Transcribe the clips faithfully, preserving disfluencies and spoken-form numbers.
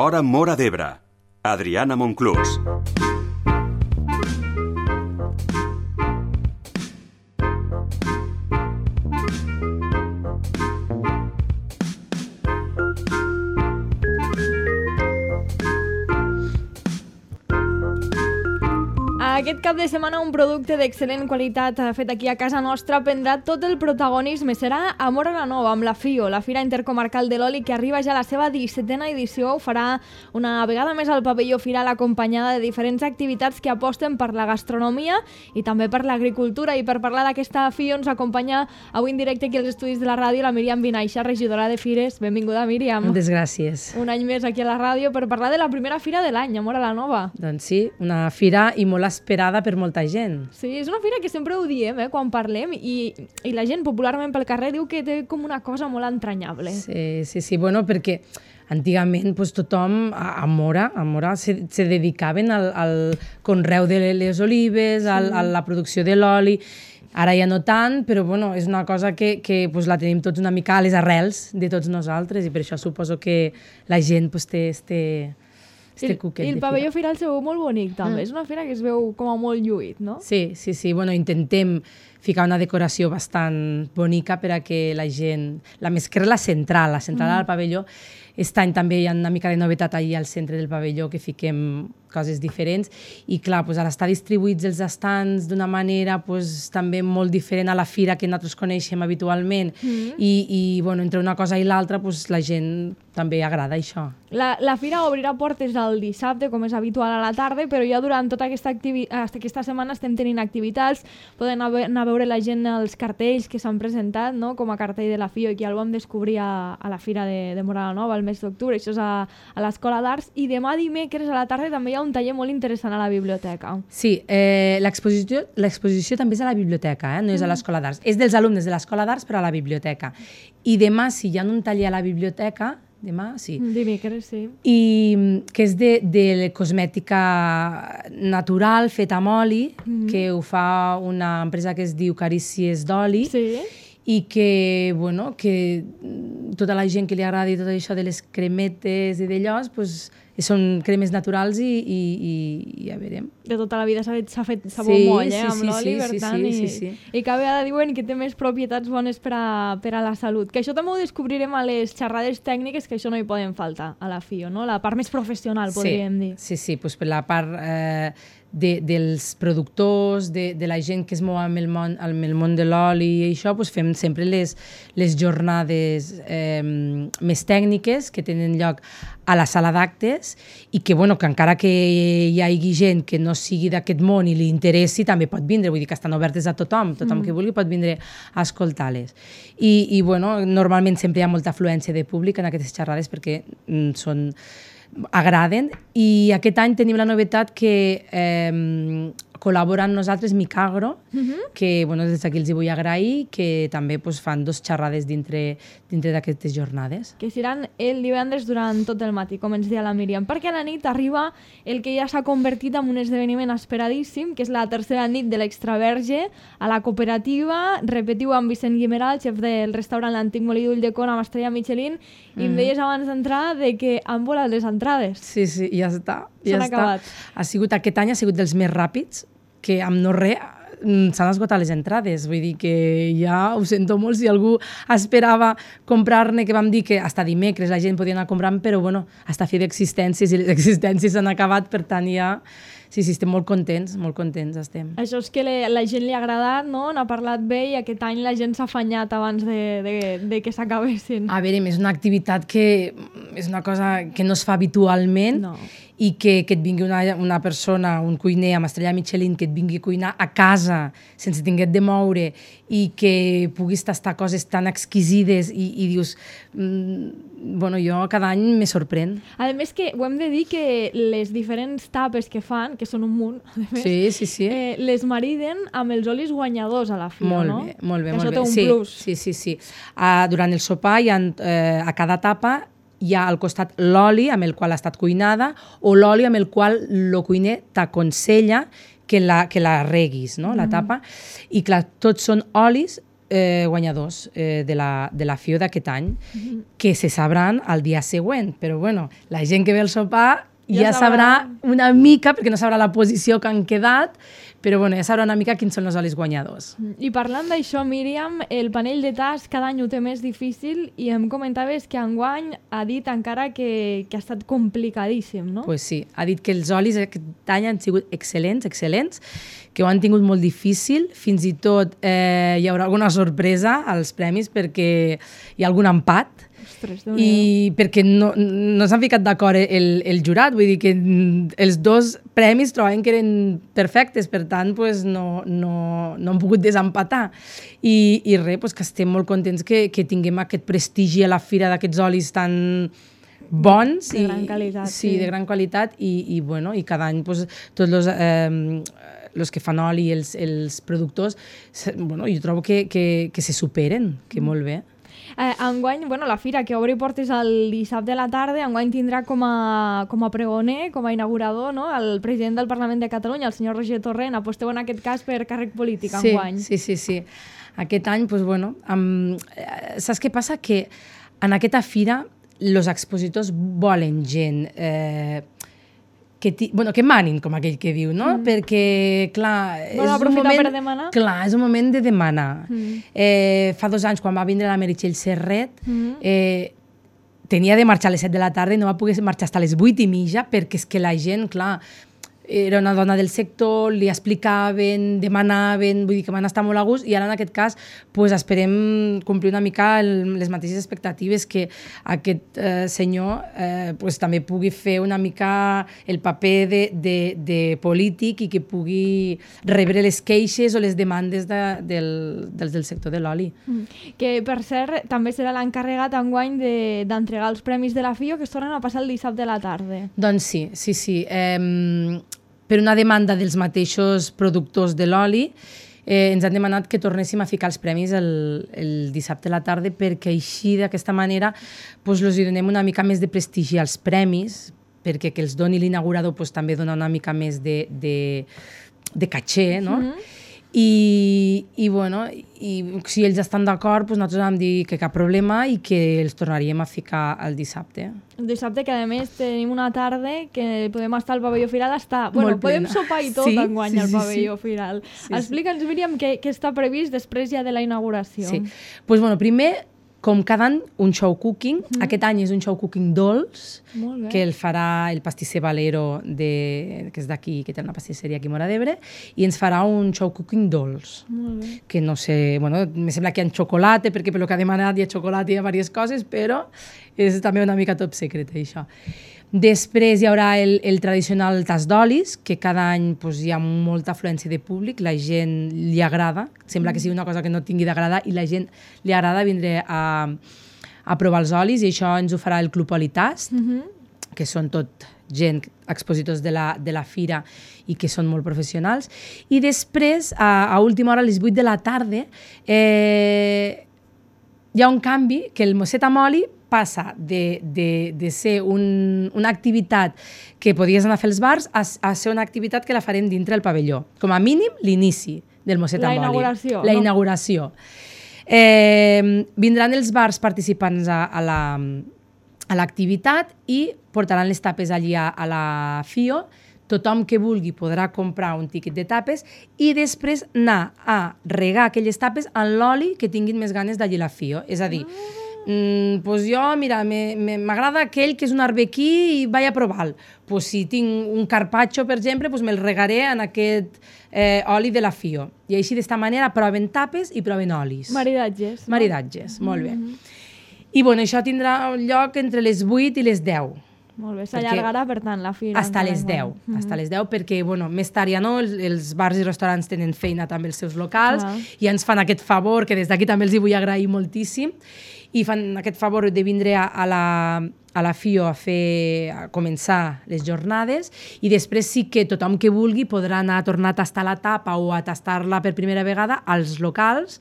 Hora Móra d'Ebre. Adriana Monclús. Aquest cap de setmana un producte d'excel·lent qualitat fet aquí a casa nostra prendrà tot el protagonisme. Serà a Móra la Nova, amb la FIO, la Fira Intercomarcal de l'Oli, que arriba ja a la seva dissetena edició. Ho farà una vegada més al pavelló Firal, acompanyada de diferents activitats que aposten per la gastronomia i també per l'agricultura. I per parlar d'aquesta FIO ens acompanya avui en directe aquí als estudis de la ràdio la Míriam Vinaixa, regidora de Fires. Benvinguda, Míriam. Moltes gràcies. Un any més aquí a la ràdio per parlar de la primera fira de l'any, a Móra la Nova. Doncs sí, una fira i molt esperada per molta gent. Sí, és una fira que sempre ho diem, eh, quan parlem, i, i la gent popularment pel carrer diu que té com una cosa molt entranyable. Sí, sí, sí, bueno, perquè antigament pues, tothom a, a Móra, a Móra se, se dedicaven al, al conreu de les olives, sí. al, a la producció de l'oli. Ara ja no tant, però bueno, és una cosa que, que pues, la tenim tots una mica a les arrels de tots nosaltres i per això suposo que la gent pues, té este... I el, I el pavelló Firal se veu molt bonic, també. Mm. És una fira que es veu com a molt lluït, no? Sí, sí, sí. Bueno, intentem ficar una decoració bastant bonica per a que la gent... La més que la central, la central mm. del pavelló. Aquest any també hi ha una mica de novetat allà al centre del pavelló, que fiquem coses diferents. I clar, doncs ara està distribuïts els estants d'una manera doncs, també molt diferent a la fira que nosaltres coneixem habitualment. Mm. I, i bueno, entre una cosa i l'altra doncs, la gent també agrada això. La, la fira obrirà portes el dissabte, com és habitual a la tarda, però ja durant tota aquesta, aquesta setmana estem tenint activitats. Poden anar a veure la gent els cartells que s'han presentat, no? Com a cartell de la FIO, i que el vam descobrir a, a la fira de, de Móra la Nova el mes d'octubre. Això és a, a l'Escola d'Arts. I demà dimecres a la tarda també hi ha un taller molt interessant a la biblioteca. Sí, eh, l'exposició l'exposició també és a la biblioteca, eh? No és a l'Escola d'Arts. És dels alumnes de l'Escola d'Arts, però a la biblioteca. I demà, si hi ha un taller a la biblioteca, demà, sí. Dimecres, sí. I que és de, de cosmètica natural, feta amb oli, mm. que ho fa una empresa que es diu Carícies d'Oli. Sí. I que, bueno, que tota la gent que li agradi tot això de les cremetes i d'allò, pues, són cremes naturals i, i, i, i ja veurem. De tota la vida s'ha fet, fet sabó sí, moll, eh, sí, amb sí, l'oli, sí, per tant, sí, sí, i, sí. i cada vegada diuen que té més propietats bones per a, per a la salut. Que això també ho descobrirem a les xerrades tècniques, que això no hi poden faltar a la FIO, no? La part més professional, podríem sí, dir. Sí, sí, pues per la part eh, de, dels productors, de, de la gent que es mou amb el món, amb el món de l'oli i això, pues fem sempre les, les jornades eh, més tècniques que tenen lloc a la sala d'actes i que, bueno, que encara que hi hagi gent que no sigui d'aquest món i li interessi, també pot vindre, vull dir que estan obertes a tothom, tothom mm. que vulgui pot vindre a escoltar-les. I, i bueno, normalment sempre hi ha molta afluència de públic en aquestes xerrades perquè mm, són agraden, i aquest any tenim la novetat que eh, col·labora amb nosaltres Micagro, uh-huh. que bueno, des d'aquí els hi vull agrair, que també pues, fan dos xerrades dintre, dintre d'aquestes jornades. Que seran el divendres durant tot el matí, com ens deia la Míriam, perquè a la nit arriba el que ja s'ha convertit en un esdeveniment esperadíssim, que és la tercera nit de l'Extraverge a la cooperativa. Repetiu amb Vicent Guimeral, xef del restaurant L'Antic Molí d'Ulldecona amb estrella Michelin, i em deies abans d'entrar de que han volat les entrades. Sí, sí, ja està. S'han ja acabat. Està. Ha sigut, aquest any ha sigut dels més ràpids, que amb no res s'han esgotat les entrades. Vull dir que ja ho sento molt si algú esperava comprar-ne, que vam dir que hasta dimecres la gent podia anar comprant, però bueno, hasta fi d'existències, i les existències s'han acabat, per tant ja... Sí, sí, estem molt contents, molt contents estem. Això és que le, la gent li ha agradat, no? N'ha parlat bé i aquest any la gent s'ha afanyat abans de, de, de que s'acabessin. A veure, és una activitat que és una cosa que no es fa habitualment, no. I que, que et vingui una, una persona, un cuiner amb estrella Michelin, que et vingui a cuinar a casa sense tinguet de moure i que puguis tastar coses tan exquisides i, i dius... Mm, bueno, jo cada any me sorprèn. A més que ho hem de dir que les diferents tapes que fan, que són un munt, a més, sí, sí, sí. Eh, les mariden amb els olis guanyadors a la FIO, molt no? Bé, molt bé, que molt això bé. té un sí, plus. Sí, sí, sí. Uh, durant el sopar hi ha, uh, a cada tapa hi ha al costat l'oli amb el qual ha estat cuinada o l'oli amb el qual el cuiner t'aconsella que la, que la reguis, no? La tapa. I clar, tots són olis eh, guanyadors eh, de, la, de la F I O d'aquest any, mm-hmm. que se sabran el dia següent, però bueno, la gent que ve al sopar ja, ja sabrà una mica, perquè no sabrà la posició que han quedat, però bueno, ja sabrà una mica quins són els olis guanyadors. I parlant d'això, Míriam, el panell de tas cada any ho té més difícil i em comentaves que enguany ha dit encara que, que ha estat complicadíssim, no? Pues sí, ha dit que els olis aquest any han sigut excel·lents, excel·lents, que ho han tingut molt difícil, fins i tot eh, hi haurà alguna sorpresa als premis perquè hi ha algun empat. Ostres, i perquè no, no s'han ficat d'acord el, el jurat, vull dir que els dos premis trobaven que eren perfectes, per tant pues, no, no, no han pogut desempatar. I, i res, pues, que estem molt contents que, que tinguem aquest prestigi a la fira d'aquests olis tan bons. De gran qualitat. Sí, sí, de gran qualitat i, i, bueno, i cada any pues, tots els... Eh, els que fan oli i els, els productors, bueno, jo trobo que, que, que se superen, que molt bé. Eh, enguany, bueno, la fira que obre portes el dissabte a la tarda, enguany tindrà com a, com a pregoner, com a inaugurador, no? El president del Parlament de Catalunya, el senyor Roger Torrent. Aposteu en aquest cas per càrrec polític sí, enguany. Sí, sí, sí. Aquest any, pues, bueno, amb... saps què passa? Que en aquesta fira els expositors volen gent... Eh, que, ti, bueno, que manin, com aquell que diu, no? Mm. Perquè, clar... Bueno, és un moment, per demanar. Clar, és un moment de demanar. Mm. Eh, fa dos anys, quan va vindre la Meritxell Serret, mm. eh, tenia de marxar a les set de la tarda i no va poder marxar fins a les vuit i mitja perquè és que la gent, clar, era una dona del sector, li explicaven, demanaven, vull dir que van estar molt a gust i ara en aquest cas pues, esperem complir una mica el, les mateixes expectatives que aquest eh, senyor eh, pues, també pugui fer una mica el paper de, de, de polític i que pugui rebre les queixes o les demandes de, del, dels del sector de l'oli. Mm. Que per cert també serà l'encarregat enguany d'entregar de, els premis de la F I O que es tornen a passar el dissabte a la tarda. Doncs sí, sí, sí. Eh, per una demanda dels mateixos productors de l'oli, eh, ens han demanat que tornéssim a ficar els premis el, el dissabte a la tarda perquè així, d'aquesta manera, pues, els donem una mica més de prestigi als premis, perquè que els doni l'inaugurador pues, també dona una mica més de, de, de caché, no? Mm-hmm. I, i, bueno, i si ells estan d'acord, doncs nosaltres vam dir que cap problema i que els tornaríem a ficar el dissabte. El dissabte, que a més tenim una tarda que podem estar al pavelló Firal, està... Bueno, molt podem plena. sopar i tot sí, enguany sí, al sí, pavelló sí. Firal. Sí, Explica'ns, Míriam, què, què està previst després ja de la inauguració. Sí, pues, bueno, primer, com cada any, un show cooking. Mm. Aquest any és un show cooking dolç, que el farà el pastisser Valero, de, que és d'aquí, que té una pastisseria aquí a Móra d'Ebre, i ens farà un show cooking dolç. Molt bé. Que no sé, bueno, me sembla que hi ha xocolata, perquè pel que ha demanat hi ha xocolata i hi ha diverses coses, però és també una mica top secret, això. Després hi haurà el, el tradicional tas d'olis, que cada any pues, hi ha molta afluència de públic, la gent li agrada, sembla que sigui una cosa que no tingui d'agradar i la gent li agrada vindre a, a provar els olis i això ens ho farà el Club Olitast, mm-hmm. que són tot gent, expositors de la, de la fira i que són molt professionals. I després, a, a última hora, a les vuit de la tarda, eh, hi ha un canvi, que el mosset amb oli passa de, de, de ser un, una activitat que podies anar a fer els bars a, a ser una activitat que la farem dintre el pavelló. Com a mínim, l'inici del mosset amb oli. La inauguració. La inauguració. Eh, vindran els bars participants a, a la a l'activitat i portaran les tapes allí a, a la F I O. Tothom que vulgui podrà comprar un tíquet de tapes i després anar a regar aquelles tapes en l'oli que tinguin més ganes d'allí a la F I O. És a dir, mm, pues jo, mira, m'agrada aquell que és un arbequí i vaig a provar-lo. Pues si tinc un carpaccio, per exemple, pues me'l regaré en aquest eh, oli de la F I O. I així, d'esta manera, proven tapes i proven olis. Maridatges. No? Maridatges, molt bé. Mm-hmm. I bueno, això tindrà lloc entre les vuit i les deu. Molt bé, s'allargarà, per tant, la fira. Hasta les deu, mm-hmm. hasta les deu, perquè, bueno, més tard ja no, els, els bars i restaurants tenen feina també els seus locals, ah. i ens fan aquest favor, que des d'aquí també els hi vull agrair moltíssim, i fan aquest favor de vindre a, a, la, a la F I O a, fer, a començar les jornades, i després sí que tothom que vulgui podrà anar a tornar a tastar la tapa o a tastar-la per primera vegada als locals,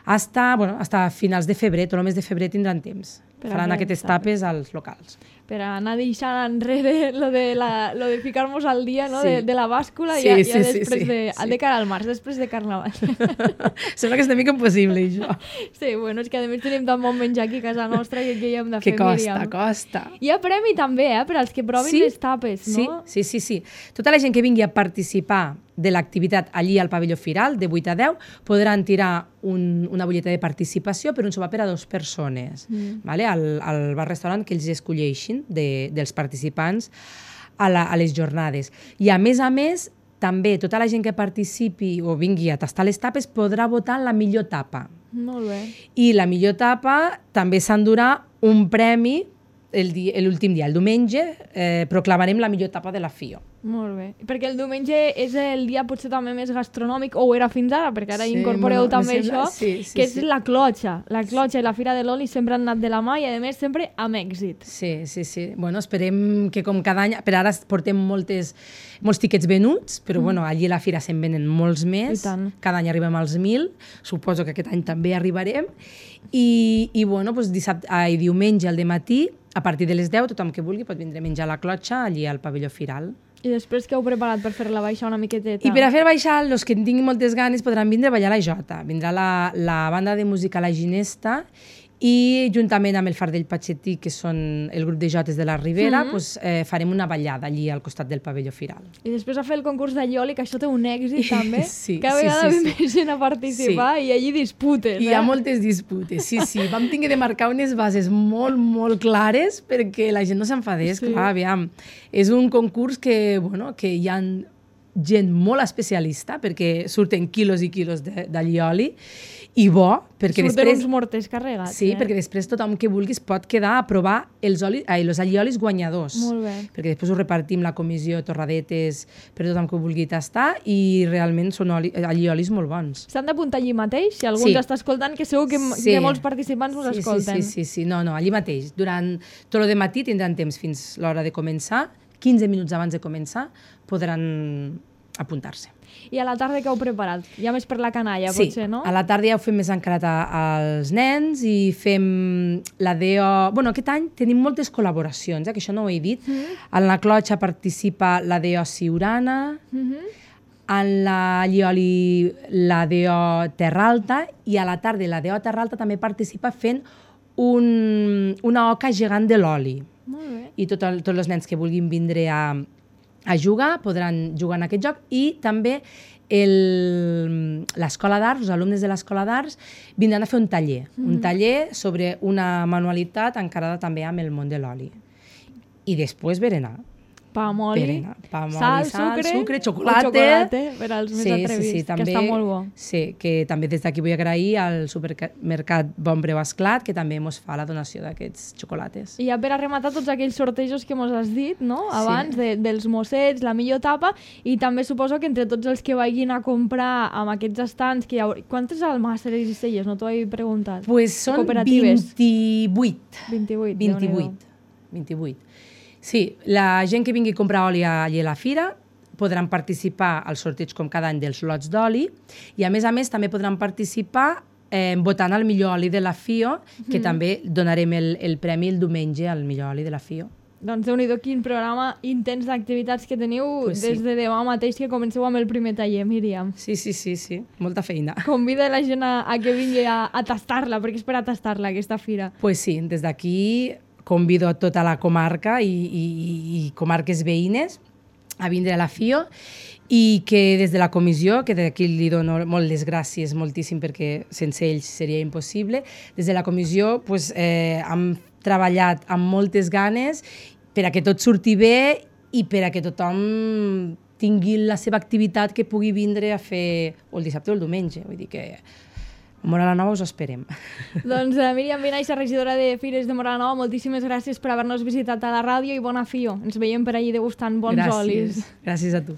hasta, bueno, hasta finals de febrer, tot el mes de febrer tindran temps. Per Faran aquestes tapes als locals. per anar deixant enrere lo de, la, lo de ficar-nos al dia, no? Sí. de, de la bàscula, Sí, ja, sí, ja sí, després sí, de, sí. de cara al març, després de Carnaval. Sembla que és una mica impossible, això. Sí, bueno, és que a més tenim tan bon menjar aquí a casa nostra que què hi hem de Que fer, costa, Míriam? costa. Hi ha premi també, eh, per als que provin Sí, les tapes, no? Sí, sí, sí, sí. Tota la gent que vingui a participar de l'activitat allí al pavelló Firal, de vuit a deu, podran tirar un, una butlleta de participació per un sopar per a dues persones, mm. vale? al, al bar-restaurant que ells escolleixin de, dels participants a, la, a les jornades. I a més a més, també tota la gent que participi o vingui a tastar les tapes podrà votar la millor tapa. Molt bé. I la millor tapa també s'endurà un premi l'últim dia, el diumenge, eh, proclamarem la millor tapa de la FIO. Molt bé. Perquè el diumenge és el dia potser també més gastronòmic, o ho era fins ara, perquè ara Sí, incorporeu bueno, també me sembla- això, sí, sí, que és sí. la clotxa. La clotxa i la Fira de l'Oli sempre han anat de la mà i, a més, sempre amb èxit. Sí, sí, sí. Bueno, esperem que com cada any... Per ara portem moltes, molts tiquets venuts, però bueno, allí a la fira se'n venen molts més. I tant. Cada any arribem als mil. Suposo que aquest any també arribarem. I, i bueno, doncs dissabte, ai, diumenge al dematí, a partir de les deu, tothom que vulgui pot vindre a menjar la clotxa allí al pavelló Firal. I després què heu preparat per fer-la baixar una miqueteta? I per a fer baixar, els que en tinguin moltes ganes podran vindre a ballar la jota. Vindrà la, la banda de música La Ginesta i juntament amb el Fardell Patxetí, que són el grup de jotes de la Ribera, mm-hmm. doncs, eh, farem una ballada allí al costat del pavelló Firal. I després a fer el concurs de Ioli, que això té un èxit també. Sí, Cada sí, vegada sí, ve sí. més gent a participar Sí. i allí disputes. Hi eh? ha moltes disputes, sí, sí. Vam tenir de marcar unes bases molt, molt clares perquè la gent no s'enfadés, Sí. clar, aviam. És un concurs que, bueno, que hi ha gent molt especialista perquè surten quilos i quilos d'allioli i bo, perquè Surten després... uns morters carregats. Sí, eh? perquè després tothom que vulguis pot quedar a provar els, oli, ai, els alliolis guanyadors. Molt bé. Perquè després ho repartim la comissió torradetes per tothom que ho vulgui tastar i realment són oli, alliolis molt bons. S'han d'apuntar allí mateix? Si algú Sí. ens està escoltant, que segur que, Sí. que molts participants us sí, escolten. Sí, sí, sí, sí, no, no, allí mateix. Durant tot el matí tindran temps fins l'hora de començar, quinze minuts abans de començar podran apuntar-se. I a la tarda què heu preparat? Ja més per la canalla, Sí, potser, no? a la tarda ja ho fem més encarat a- als nens i fem la D O... Bueno, aquest any tenim moltes col·laboracions, eh, que això no ho he dit. Mm. En la clotxa participa la D O Siurana, Mm -hmm. en la Llioli la D O Terra Alta i a la tarda la D O Terra Alta també participa fent un, una oca gegant de l'oli. Molt bé. I tot el, tots els nens que vulguin vindre a, a jugar podran jugar en aquest joc i també el- l'escola d'arts, els alumnes de l'escola d'arts vindran a fer un taller, mm. un taller sobre una manualitat encarada també amb el món de l'oli. I després berenar. Pa amb oli, Berenar. Pa amb sal, oli, sal, sucre, sucre, o xocolate. xocolate per als més Sí, atrevits, sí, sí, també, que està molt bo. Sí, que també des d'aquí vull agrair al supermercat Bon Breu Esclat, que també ens fa la donació d'aquests xocolates. I ja per a rematar tots aquells sortejos que mos has dit, no? Abans, Sí. de, dels mossets, la millor tapa, i també suposo que entre tots els que vagin a comprar amb aquests estants, que hi haurà... Quantes almàsseres i celles? No t'ho he preguntat. Pues són Cooperatives. vint-i-vuit. vint-i-vuit. vint-i-vuit. vint-i-vuit. Sí, la gent que vingui a comprar oli allà a la fira podran participar al sorteig com cada any dels lots d'oli i a més a més també podran participar eh, votant el millor oli de la FIO, que mm. també donarem el, el premi el diumenge al millor oli de la FIO. Doncs déu-n'hi-do quin programa intens d'activitats que teniu Pues sí. des de demà mateix que comenceu amb el primer taller, Míriam. Sí, sí, sí, sí, molta feina. Convida la gent a, a que vingui a, a tastar-la, perquè és per a tastar-la, aquesta fira. Pues sí, des d'aquí convido a tota la comarca i, i, i comarques veïnes a vindre a la FIO i que des de la comissió, que d'aquí li dono molt les gràcies moltíssim perquè sense ells seria impossible, des de la comissió pues, eh, hem treballat amb moltes ganes per a que tot surti bé i per a que tothom tingui la seva activitat que pugui vindre a fer o el dissabte o el diumenge. Vull dir que a Móra la Nova us esperem. Doncs uh, Míriam Vinaixa, regidora de Fires de Móra la Nova, moltíssimes gràcies per haver-nos visitat a la ràdio i bona FIO. Ens veiem per allí degustant bons Gràcies. olis. Gràcies a tu.